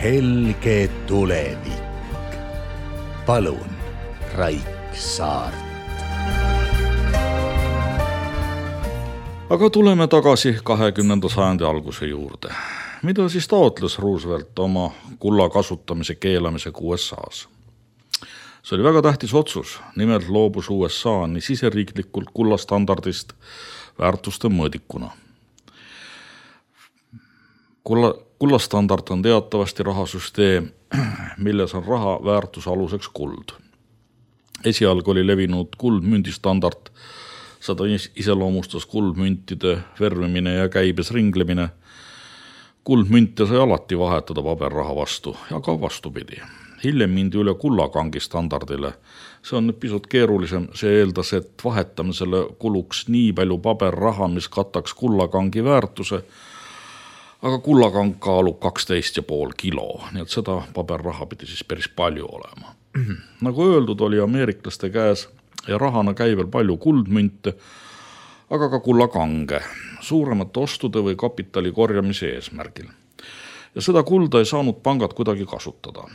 helge tulevik. Palun, Raik Saart. Aga tuleme tagasi 20. sajandi alguse juurde. Mida siis taotles Roosevelt oma kulla kasutamise keelamisega USA's? See oli väga tähtis otsus, nimelt loobus USA nii siseriiklikult kullastandardist väärtuste mõõdikuna. Kullastandard on teatavasti rahasüsteem, milles on raha väärtuse aluseks kuld. Esialgu oli levinud kuldmündistandard, seda iseloomustas kuldmüntide värvimine ja käibes ringlemine. Kuldmünte sai alati vahetada paberraha vastu ja ka vastupidi. Hiljem mindi üle kullakangi standardile. See on nüüd pisut keerulisem, see eeldas, et vahetamisele kuluks nii palju paberraha, mis kataks kullakangi väärtuse, aga kullakang kaalub 12,5 kilo, nii et seda paberraha pidi siis päris palju olema. Nagu öeldud, oli ameeriklaste käes ja rahana käivel palju kuldmünte, aga ka kullakange, suuremate ostude või kapitali korjamise eesmärgil. Ja seda kulda ei saanud pangad kuidagi kasutada.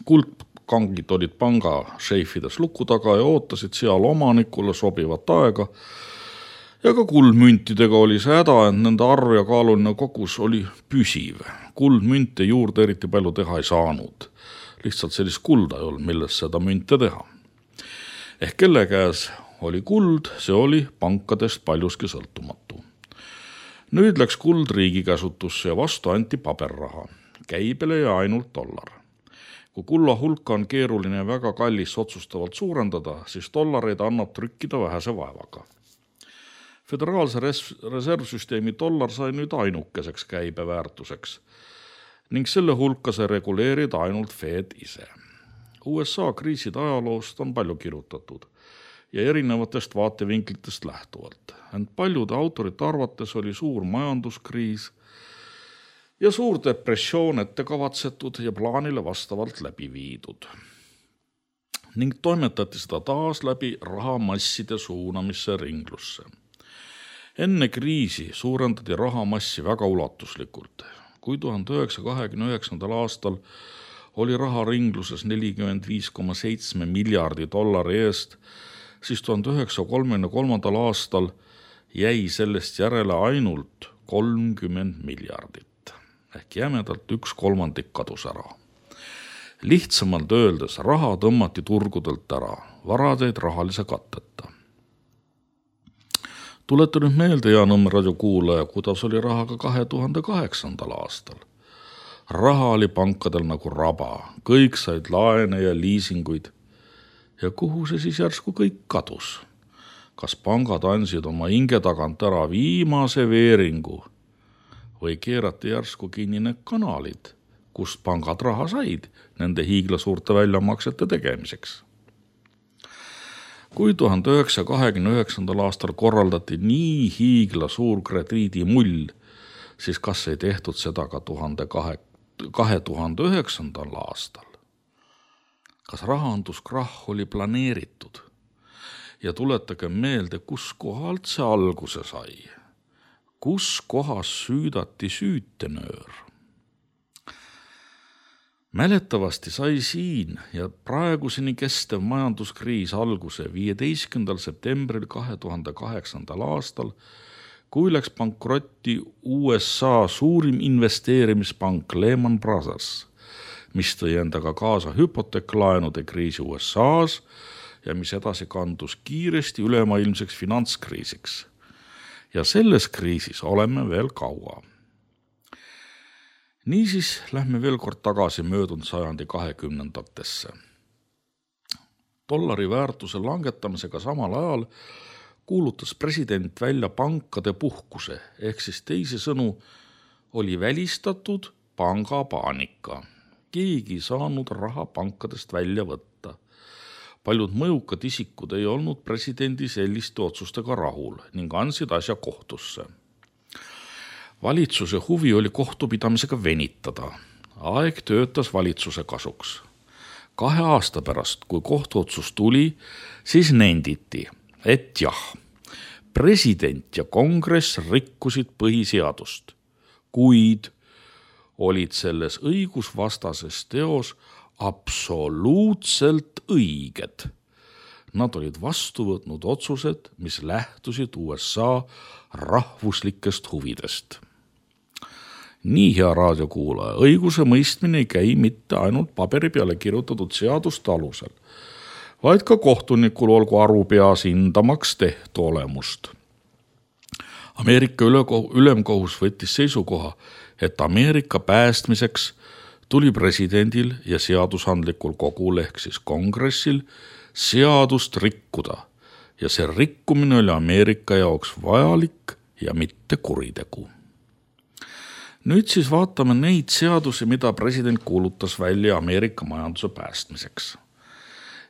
Kuldkangid olid panga šeifides luku taga ja ootasid seal omanikule sobivat aega. Ja ka kuldmüntidega oli see häda, et nende arv ja kaaluline kogus oli püsiv. Kuldmünte juurde eriti palju teha ei saanud. Lihtsalt sellist kulda ei olnud, milles seda münte teha. Ehk kelle käes oli kuld, see oli pankadest paljuski sõltumatu. Nüüd läks kuld riigi käsutusse ja vastu anti paberraha. Käibele ja ainult dollar. Kui kulla hulka on keeruline ja väga kallis otsustavalt suurendada, siis dollareid annab trükkida vähese vaevaga. Föderaalse reservsüsteemi dollar sai nüüd ainukeseks käibeväärtuseks ning selle hulka sai reguleerida ainult Fed ise. USA kriiside ajaloost on palju kirjutatud ja erinevatest vaatevinklitest lähtuvalt. Ent paljude autorite arvates oli suur majanduskriis ja suur depressioon ette kavatsetud ja plaanile vastavalt läbi viidud. Ning toimetati seda taas läbi rahamasside suunamisse ringlusse. Enne kriisi suurendati rahamassi väga ulatuslikult. Kui 1929. aastal oli raha ringluses 45,7 miljardi dollari eest, siis 1933. aastal jäi sellest järele ainult 30 miljardit. Ehk jämedalt 1/3 kadus ära. Lihtsamalt öeldes raha tõmmati turgudelt ära, varadeid rahalise katteta. Tuleta nüüd meelde, Jaanõmme radio kuulaja, kuidas oli rahaga 2008. aastal. Raha oli pankadel nagu raba, kõik said laene ja liisinguid. Ja kuhu see siis järsku kõik kadus? Kas pangad andsid oma hinge tagant ära viimase veeringu või keerati järsku kinni need kanalid, kust pangad raha said nende hiigla suurte väljamaksete tegemiseks? Kui 1929. aastal korraldati nii hiigla suur krediidimull, siis kas ei tehtud seda ka 2009. aastal? Kas rahanduskrahh oli planeeritud? Ja tuletage meelde, kus kohalt see alguse sai. Kus kohas süüdati süütenöör? Mäletavasti sai siin ja praeguseni kestev majanduskriis alguse 15. septembril 2008. aastal, kui läks pankrotti USA suurim investeerimispank Lehman Brothers, mis tõi endaga kaasa hüpoteeklaenude kriisi USA's ja mis edasi kandus kiiresti ülemaailmseks finantskriisiks. Ja selles kriisis oleme veel kaua. Niisiis lähme veel kord tagasi möödunud sajandi 20. Dollari väärtuse langetamisega samal ajal kuulutas president välja pankade puhkuse, ehk siis teisisõnu oli välistatud pangapaanika. Keegi ei saanud raha pankadest välja võtta. Paljud mõjukad isikud ei olnud presidendi selliste otsustega rahul ning andsid asja kohtusse. Valitsuse huvi oli kohtupidamisega venitada. Aeg töötas valitsuse kasuks. 2 aasta pärast, kui kohtuotsus tuli, siis nenditi, et jah, president ja kongress rikkusid põhiseadust, kuid olid selles õigusvastases teos absoluutselt õiged. Nad olid vastu võtnud otsused, mis lähtusid USA rahvuslikest huvidest. Nii, hea raadiokuulaja, õiguse mõistmine ei käi mitte ainult paberi peale kirjutatud seaduste alusel, vaid ka kohtunikul olgu aru peas hindamaks tehtu olemust. Ameerika ülemkohus võttis seisukoha, et Ameerika päästmiseks tuli presidendil ja seadusandlikul kogul ehk siis kongressil seadust rikkuda ja see rikkumine oli Ameerika jaoks vajalik ja mitte kuritegu. Nüüd siis vaatame neid seadusi, mida president kuulutas välja Ameerika majanduse päästmiseks.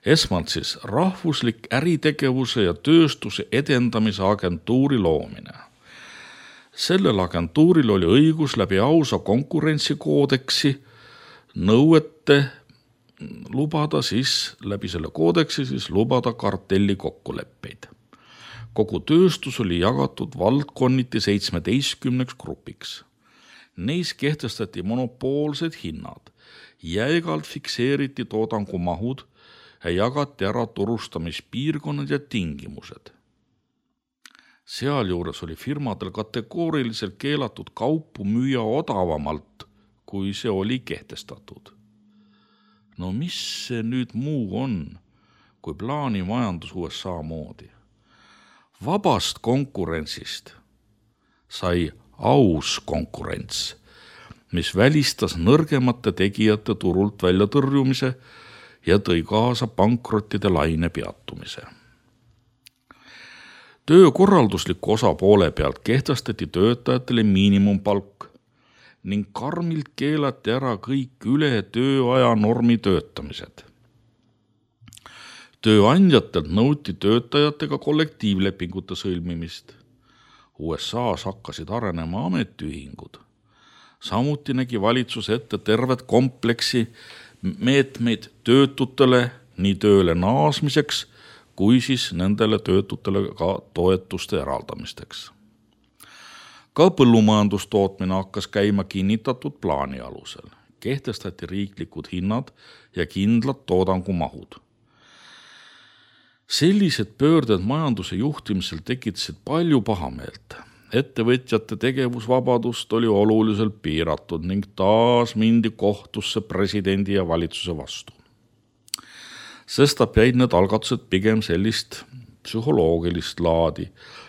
Esmalt siis rahvuslik äritegevuse ja tööstuse edendamise agentuuri loomine. Sellel agentuuril oli õigus läbi ausa konkurentsikoodeksi nõuete lubada läbi selle koodeksi lubada kartelli kokkuleppeid. Kogu tööstus oli jagatud valdkonniti 17 grupiks. Neis kehtestati monopoolsed hinnad, jäigalt fikseeriti toodangumahud ja jagati ära turustamispiirkonnad ja tingimused. Sealjuures oli firmadel kategooriliselt keelatud kaupu müüa odavamalt, kui see oli kehtestatud. No mis see nüüd muu on, kui plaanimajandus USA moodi? Vabast konkurentsist sai aus konkurents, mis välistas nõrgemate tegijate turult välja tõrjumise ja tõi kaasa pankrottide laine peatumise. Töökorraldusliku osa poole pealt kehtestati töötajatele miinimumpalk ning karmilt keelati ära kõik üle tööaja normi töötamised. Tööandjatelt nõuti töötajatega kollektiivlepingute sõlmimist. USA-s hakkasid arenema ametiühingud. Samuti nägi valitsus ette tervet kompleksi meetmeid töötutele nii tööle naasmiseks, kui siis nendele töötutele ka toetuste eraldamisteks. Ka põllumajandustootmine hakkas käima kinnitatud plaani alusel. Kehtestati riiklikud hinnad ja kindlad toodangumahud. Sellised pöörded majanduse juhtimisel tekitasid palju pahameelt. Ettevõtjate tegevusvabadust oli oluliselt piiratud ning taas mindi kohtusse presidendi ja valitsuse vastu. Sestap jäid need algatused pigem sellist psühholoogilist laadi,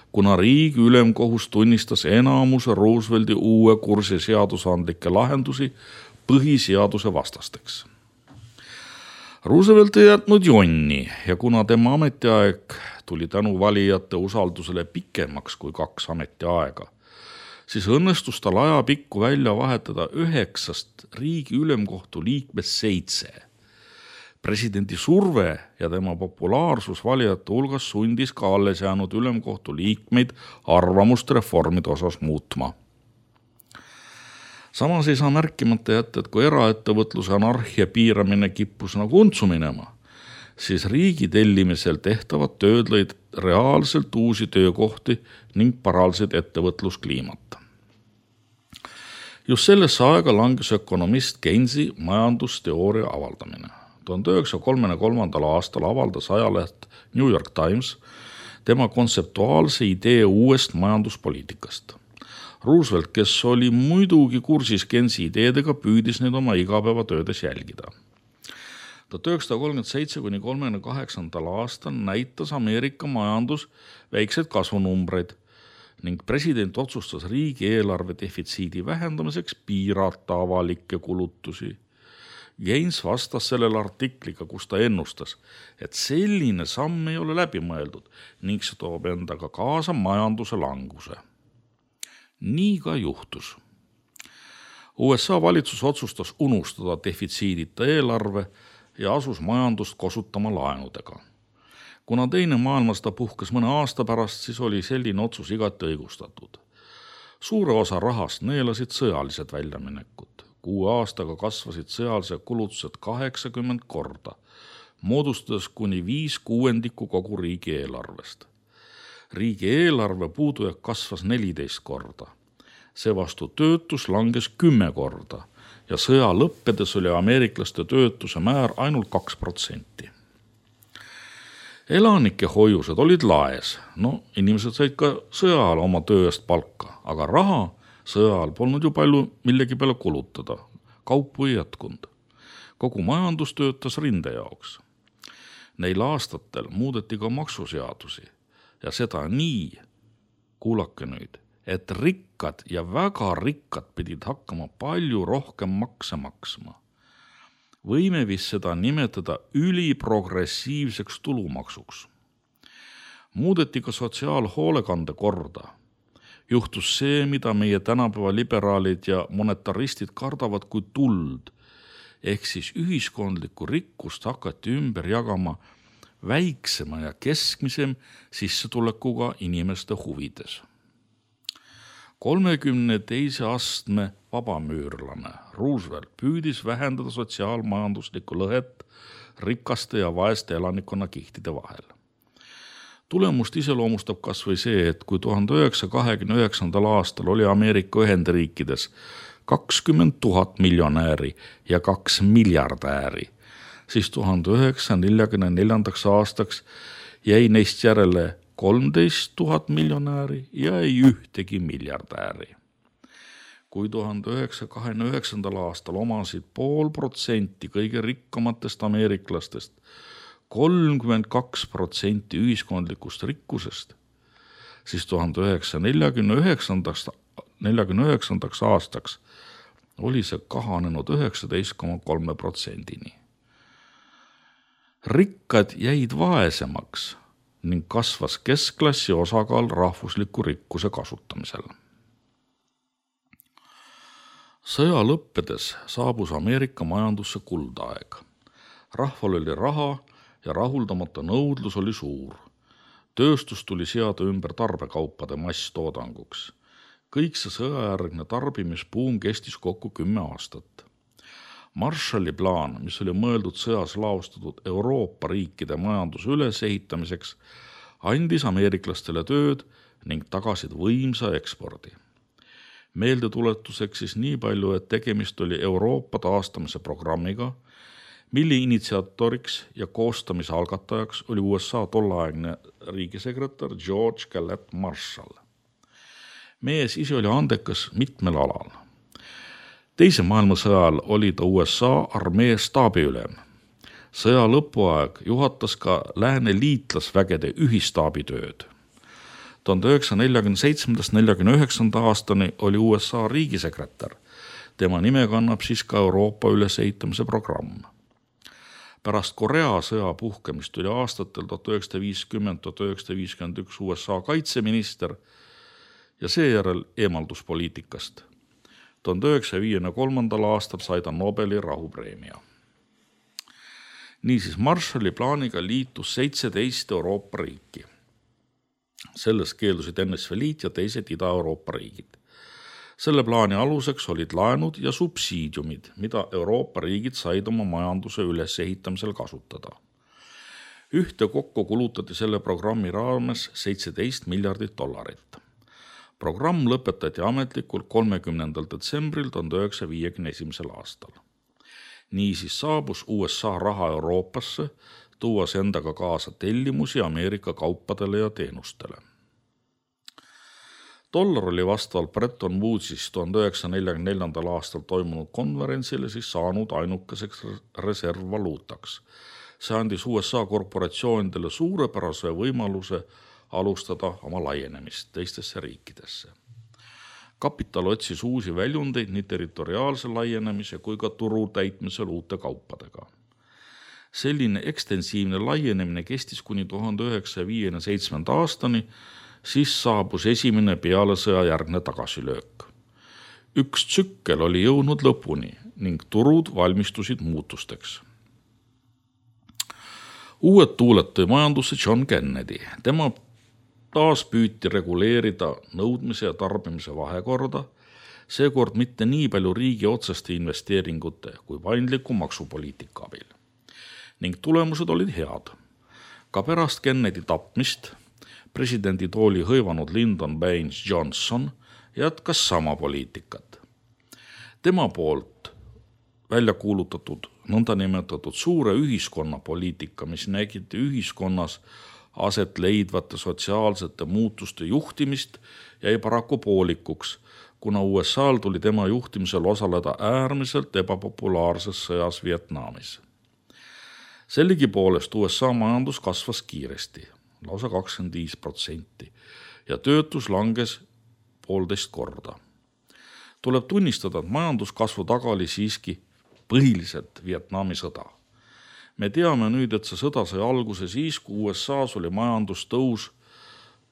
kuna riigi ülemkohus tunnistas enamuse Roosevelti uue kursi seadusandlikke lahendusi põhiseaduse vastasteks. Roosevelt ei jätnud jonni ja kuna tema ametiaeg tuli tänu valijate usaldusele pikemaks kui 2 ametiaega, siis õnnestus tal ajapikku välja vahetada 9 riigi ülemkohtu liikmest 7. Presidendi surve ja tema populaarsus valijate hulgas sundis ka alles jäänud ülemkohtu liikmeid arvamust reformide osas muutma. Samas ei saa märkimata jätta, et kui eraettevõtluse anarhia piiramine kippus nagu untsu minema, siis riigi tellimisel tehtavad tööd lõid reaalselt uusi töökohti ning paraldasid ettevõtluskliimat. Just sellesse aega langes ökonomist Keynesi majandusteooria avaldamine. 1933. aastal avaldas ajaleht New York Times tema kontseptuaalse idee uuest majanduspoliitikast. Roosevelt, kes oli muidugi kursis Keynesi ideedega, püüdis neid oma igapäevatöödes jälgida. 1937–1938 aastal näitas Ameerika majandus väikseid kasvunumbreid ning president otsustas riigieelarve defitsiidi vähendamiseks piirata avalikke kulutusi. Keynes vastas sellele artikliga, kus ta ennustas, et selline samm ei ole läbi mõeldud ning see toob endaga kaasa majanduse languse. Nii ka juhtus. USA valitsus otsustas unustada defitsiidita eelarve ja asus majandust kosutama laenudega. Kuna teine maailmasõda puhkes mõne aasta pärast, siis oli selline otsus igati õigustatud. Suure osa rahast neelasid sõjalised väljaminekud. 6 aastaga kasvasid sõjalised kulutused 80 korda, moodustades kuni 5/6 kogu riigieelarvest. Riigieelarve puudujääk kasvas 14 korda. Seevastu töötus langes 10 korda ja sõja lõppedes oli ameeriklaste töötuse määr ainult 2%. Elanike hoiused olid laes, inimesed said ka sõja ajal oma töö eest palka, aga raha sõja ajal polnud ju palju millegi peale kulutada, kaupu ei jätkunud. Kogu majandus töötas rinde jaoks. Neil aastatel muudeti ka maksuseadusi ja seda nii, kuulake nüüd, et rikkad ja väga rikkad pidid hakkama palju rohkem makse maksma. Võime vist seda nimetada üliprogressiivseks tulumaksuks. Muudeti ka sotsiaalhoolekande korda. Juhtus see, mida meie tänapäeva liberaalid ja monetaristid kardavad kui tuld, ehk siis ühiskondlikku rikkust hakati ümber jagama väiksema ja keskmisem sissetulekuga inimeste huvides. 32. astme vabamüürlane Roosevelt püüdis vähendada sotsiaalmajanduslikku lõhet rikaste ja vaeste elanikkonna kihtide vahel. Tulemust iseloomustab kas või see, et kui 1929. aastal oli Ameerika Ühendriikides 20 000 miljonääri ja 2 miljardääri, siis 1944. aastaks jäi neist järele 13 000 miljonääri ja ei ühtegi miljardääri. Kui 1929. aastal omasid 0,5% kõige rikkamatest ameeriklastest 32% ühiskondlikust rikkusest, siis 1949. aastaks oli see kahanenud 19,3%-ni. Rikkad jäid vaesemaks ning kasvas keskklassi osakaal rahvusliku rikkuse kasutamisel. Sõja lõppedes saabus Ameerika majandusse kuldaeg. Rahval oli raha ja rahuldamata nõudlus oli suur. Tööstus tuli seada ümber tarbekaupade masstoodanguks. Kõik see sõjajärgne tarbimisbuum kestis kokku 10 aastat. Marshalli plaan, mis oli mõeldud sõjas laostatud Euroopa riikide majanduse ülesehitamiseks, andis ameeriklastele tööd ning tagasid võimsa ekspordi. Meeldetuletuseks siis nii palju, et tegemist oli Euroopa taastamise programmiga, mille initsiatoriks ja koostamise algatajaks oli USA tollaegne riigisekretär George Gallet Marshall. Mees ise oli andekas mitmel alal. Teise maailmasõja ajal oli ta USA armee staabiülem. Sõja lõpuaeg juhatas ka lääne liitlasvägede ühistaabitööd. 1947-49 aastani oli USA riigisekretär. Tema nime kannab siis ka Euroopa ülesehitamise programm. Pärast Korea sõja puhkemist oli aastatel 1950-1951 USA kaitseminister ja seejärel eemaldus poliitikast. 1953. aastal sai ta Nobeli rahupreemia. Niisiis Marshalli plaaniga liitus 17 Euroopa riiki. Selles keeldusid NSV Liit ja teised Ida-Euroopa riigid. Selle plaani aluseks olid laenud ja subsiidiumid, mida Euroopa riigid said oma majanduse ülesehitamisel kasutada. Ühtekokku kulutati selle programmi raames $17 miljardit. Programm lõpetati ametlikult 30. detsembril 1951. aastal. Niisiis saabus USA raha Euroopasse, tuues endaga kaasa tellimusi Ameerika kaupadele ja teenustele. Dollar oli vastavalt Bretton Woodsis 1944. aastal toimunud konverentsile siis saanud ainukeseks reservvaluutaks. See andis USA korporatsioonidele suurepärase võimaluse alustada oma laienemist teistesse riikidesse. Kapital otsis uusi väljundeid nii territoriaalse laienemise kui ka turu täitmisel uute kaupadega. Selline ekstensiivne laienemine kestis kuni 1957. aastani, siis saabus esimene peale sõja järgne tagasilöök. Üks tsükkel oli jõudnud lõpuni ning turud valmistusid muutusteks. Uued tuuled tõi majandusse John Kennedy. Tema taas püüti reguleerida nõudmise ja tarbimise vahekorda, seekord mitte nii palju riigi otseste investeeringute kui paindliku maksupoliitika abil. Ning tulemused olid head. Ka pärast Kennedy tapmist presidendi tooli hõivanud Lyndon Baines Johnson jätkas sama poliitikat. Tema poolt välja kuulutatud nõndanimetatud suure ühiskonna poliitika, mis nägiti ühiskonnas aset leidvate sotsiaalsete muutuste juhtimist, jäi paraku poolikuks, kuna USA'l tuli tema juhtimisel osaleda äärmiselt ebapopulaarses sõjas Vietnamis. Sellegipoolest USA majandus kasvas kiiresti, lausa 25%, ja töötus langes 1,5 korda. Tuleb tunnistada, et majanduskasvu taga oli siiski põhiliselt Vietnami sõda. Me teame nüüd, et see sõda sai alguse siis, kui USA's oli majandustõus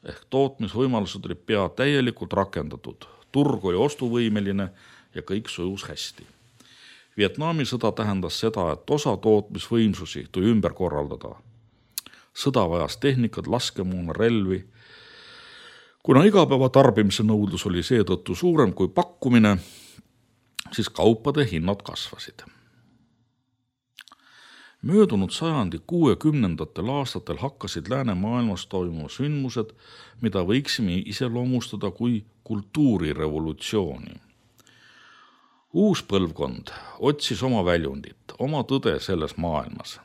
ehk tootmisvõimalused olid pea täielikult rakendatud, turg oli ostuvõimeline ja kõik sujus hästi. Vietnami sõda tähendas seda, et osa tootmisvõimsusi tuli ümber korraldada. Sõda vajas tehnikat, laskemoona, relvi. Kuna igapäeva tarbimise nõudlus oli seetõttu suurem kui pakkumine, siis kaupade hinnad kasvasid. Möödunud sajandi 60. aastatel hakkasid läänemaailmas toimuma sündmused, mida võiksime iseloomustada kui kultuurirevolutsiooni. Uus põlvkond otsis oma väljundit, oma tõde selles maailmas.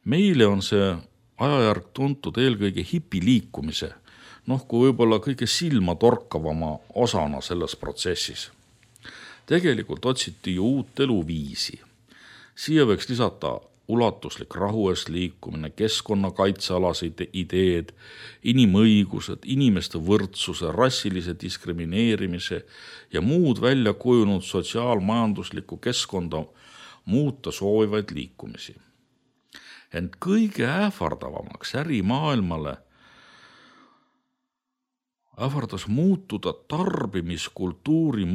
Meile on see ajajärg tuntud eelkõige hipiliikumise, kui võib-olla kõige silma torkavama osana selles protsessis. Tegelikult otsiti ju uut eluviisi. Siia võiks lisata ulatuslik rahu eest liikumine, keskkonnakaitsealased ideed, inimõigused, inimeste võrdsuse, rassilise diskrimineerimise ja muud välja kujunud sotsiaalmajanduslikku keskkonda muuta soovivaid liikumisi. Ent kõige ähvardavamaks ärimaailmale ähvardas muutuda tarbimiskultuuri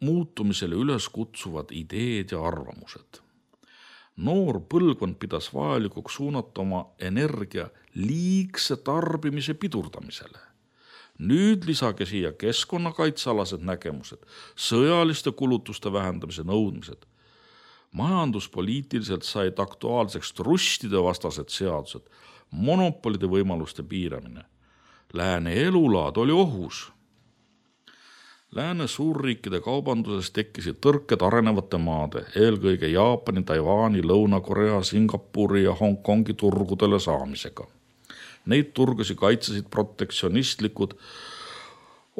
muutumisele üles kutsuvad ideed ja arvamused. Noor põlvkond pidas vajalikuks suunata oma energia liigse tarbimise pidurdamisele. Nüüd lisage siia keskkonnakaitsealased nägemused, sõjaliste kulutuste vähendamise nõudmised. Majanduspoliitiliselt said aktuaalseks trustide vastased seadused, monopolide võimaluste piiramine. Lääne elulaad oli ohus. Lääne suurriikide kaubanduses tekkisid tõrked arenevate maade, eelkõige Jaapani, Taiwani, Lõuna-Korea, Singapuri ja Hongkongi turgudele saamisega. Neid turgusi kaitsesid protektsionistlikud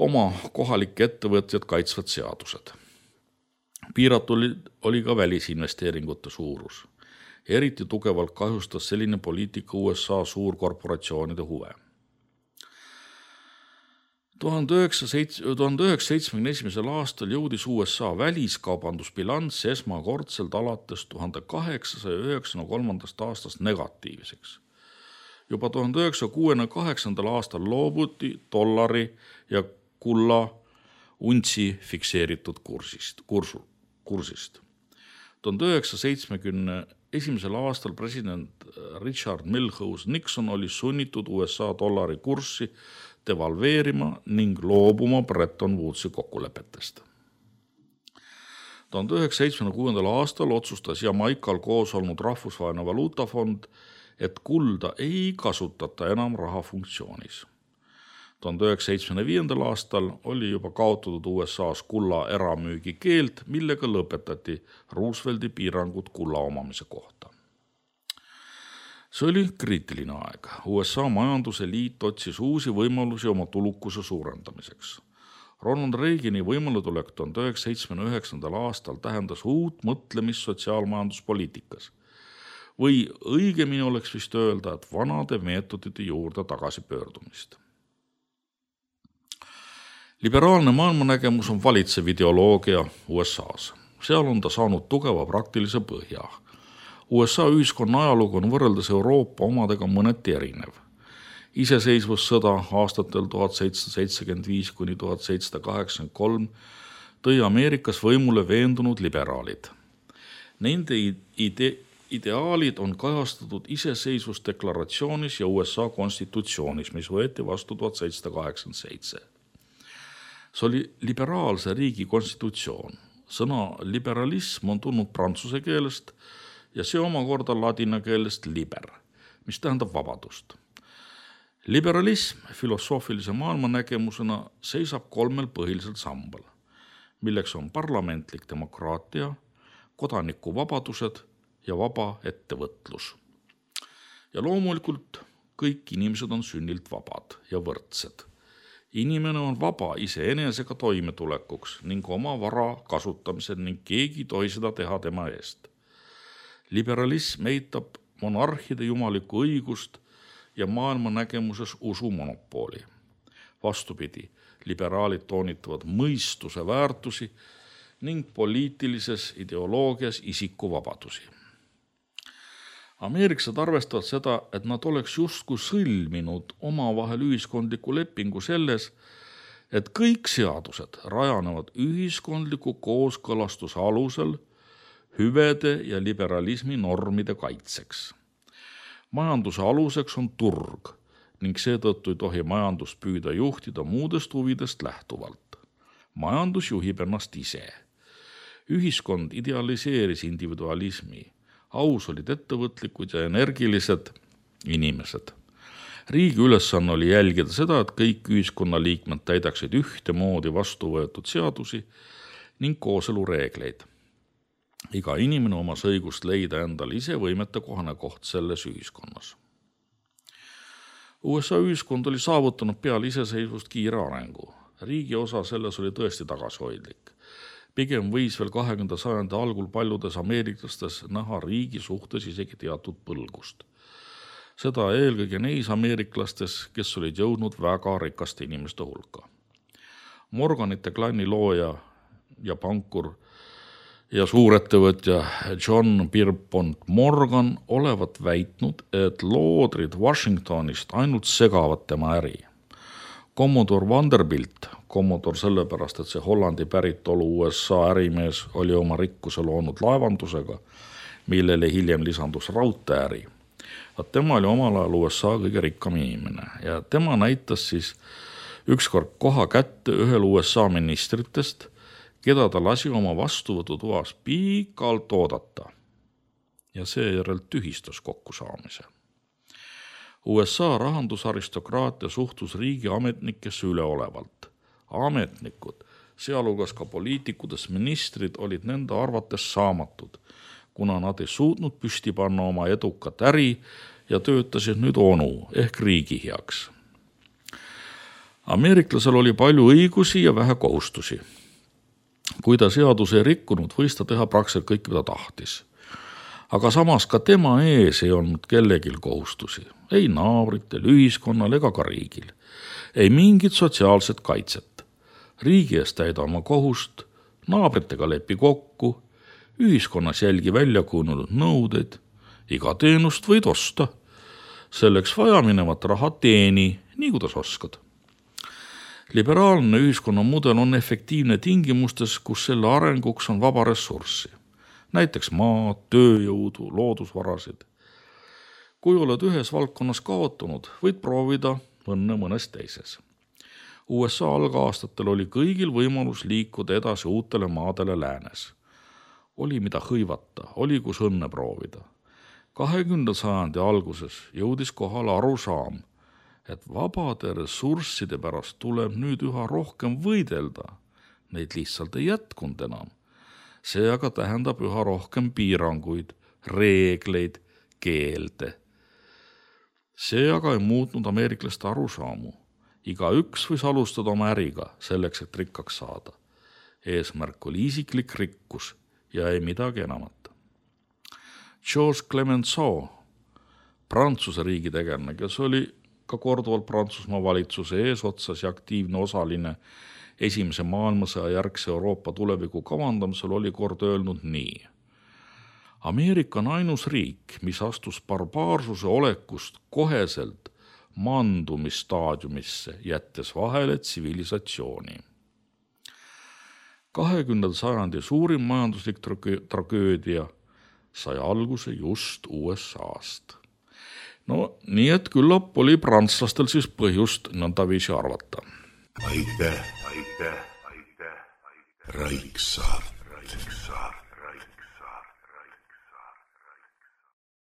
oma kohalikke ettevõtjad kaitsvad seadused. Piiratud oli ka välisinvesteeringute suurus. Eriti tugevalt kahjustas selline poliitika USA suurkorporatsioonide huve. 1971. aastal jõudis USA väliskaubandusbilanss esmakordselt alates 1893. aastast negatiivseks. Juba 1968. aastal loobuti dollari ja kulla untsi fikseeritud kursist. 1971. aastal president Richard Milhous Nixon oli sunnitud USA dollari kurssi devalveerima ning loobuma Bretton Woodsi kokkulepetest. 1976. aastal otsustas Jamaikal koos olnud rahvusvaheline valuutafond, et kulda ei kasutata enam raha funktsioonis. 1975. aastal oli juba kaotatud USA's kulla eramüügi keeld, millega lõpetati Roosevelti piirangud kulla omamise kohta. See oli kriitiline aeg. USA majanduse liit otsis uusi võimalusi oma tulukuse suurendamiseks. Ronald Reagani võimaletulek 1979. aastal tähendas uut mõtlemist sotsiaalmajanduspoliitikas. Või õigemini oleks vist öelda, et vanade meetodite juurde tagasi pöördumist. Liberaalne maailmanägemus on valitsev ideoloogia USA's. Seal on ta saanud tugeva praktilise põhja. USA ühiskonna ajalugu on võrreldes Euroopa omadega mõneti erinev. Iseseisvussõda aastatel 1775–1783 tõi Ameerikas võimule veendunud liberaalid. Nende ideaalid on kajastatud iseseisvusdeklaratsioonis ja USA konstitutsioonis, mis võeti vastu 1787. See oli liberaalse riigi konstitutsioon. Sõna liberalism on tulnud prantsuse keelest ja see omakorda ladina keelest liber, mis tähendab vabadust. Liberalism filosoofilise maailmanägemusena seisab 3 põhilisel sambal, milleks on parlamentlik demokraatia, kodanikuvabadused ja vaba ettevõtlus. Ja loomulikult kõik inimesed on sünnilt vabad ja võrdsed. Inimene on vaba iseenesega toimetulekuks ning oma vara kasutamisel ning keegi ei tohi seda teha tema eest. Liberalism eitab monarhide jumalikku õigust ja maailmanägemuses usumonopooli. Vastupidi, liberaalid toonitavad mõistuse väärtusi ning poliitilises ideoloogias isikuvabadusi. Ameeriklased arvestavad seda, et nad oleks justkui sõlminud omavahel ühiskondliku lepingu selles, et kõik seadused rajanevad ühiskondliku kooskõlastuse alusel hüvede ja liberalismi normide kaitseks. Majanduse aluseks on turg ning seetõttu ei tohi majandust püüda juhtida muudest huvidest lähtuvalt. Majandus juhib ennast ise. Ühiskond idealiseeris individualismi. Aus olid ettevõtlikud ja energilised inimesed. Riigi ülesanne oli jälgida seda, et kõik ühiskonnaliikmed täidaksid ühtemoodi vastu võetud seadusi ning kooselureegleid. Iga inimene omas õigust leida endale ise võimetekohane koht selles ühiskonnas. USA ühiskond oli saavutanud peale iseseisvust kiire arengu. Riigi osa selles oli tõesti tagasihoidlik. Pigem võis veel 20. sajandi algul paljudes ameeriklastes näha riigi suhtes isegi teatud põlgust. Seda eelkõige neis ameeriklastes, kes olid jõudnud väga rikaste inimeste hulka. Morganite klanni looja ja pankur ja suurettevõtja John Pierpont Morgan olevat väitnud, et loodrid Washingtonist ainult segavad tema äri. Commodore Vanderbilt, Commodore sellepärast, et see Hollandi päritolu USA ärimees oli oma rikkuse loonud laevandusega, millele hiljem lisandus raudteeäri. Tema oli omal ajal USA kõige rikkam inimene ja tema näitas siis ükskord koha kätte ühel USA ministritest, keda ta lasi oma vastuvõtutoas pikalt oodata ja seejärel tühistas kokkusaamise. USA rahandusaristokraatia suhtus riigi ametnikesse üleolevalt. Ametnikud, sealhulgas ka poliitikudest ministrid, olid nende arvates saamatud, kuna nad ei suutnud püsti panna oma edukat äri ja töötasid nüüd onu ehk riigi heaks. Ameeriklasel oli palju õigusi ja vähe kohustusi. Kui ta seaduse ei rikkunud, võis ta teha praktiliselt kõik, mida tahtis. Aga samas ka tema ees ei olnud kellegil kohustusi. Ei naabritel, ühiskonnal ega ka riigil. Ei mingit sotsiaalset kaitset. Riigi eest täida oma kohust, naabritega lepi kokku, ühiskonnas jälgi välja kujunenud nõudeid, iga teenust võid osta. Selleks vaja minevat raha teeni, nii kuidas oskad. Liberaalne ühiskonnamudel on efektiivne tingimustes, kus selle arenguks on vaba ressurssi. Näiteks maad, tööjõudu, loodusvarasid. Kui oled ühes valdkonnas kaotanud, võid proovida õnne mõnes teises. USA algaastatel oli kõigil võimalus liikuda edasi uutele maadele läänes. Oli mida hõivata, oli kus õnne proovida. 20. sajandi alguses jõudis kohale arusaam, et vabade ressursside pärast tuleb nüüd üha rohkem võidelda. Neid lihtsalt ei jätkunud enam. See aga tähendab üha rohkem piiranguid, reegleid, keelde. See aga ei muutnud ameeriklaste arusaamu. Igaüks võis alustada oma äriga selleks, et rikkaks saada. Eesmärk oli isiklik rikkus ja ei midagi enamat. Georges Clemenceau, Prantsuse riigi tegelane, kes oli ka korduvalt Prantsusmaa valitsuse eesotsas ja aktiivne osaline Esimese maailmasõja järgse Euroopa tuleviku kavandamisel, oli kord öelnud nii. Ameerika on ainus riik, mis astus barbaarsuse olekust koheselt mandumisstaadiumisse, jättes vahele tsivilisatsiooni. 20. sajandi suurim majanduslik tragöödia sai alguse just USA-st. No nii, et küllap oli prantslastel siis põhjust nõndaviisi arvata. Aitäh, Raik Saart.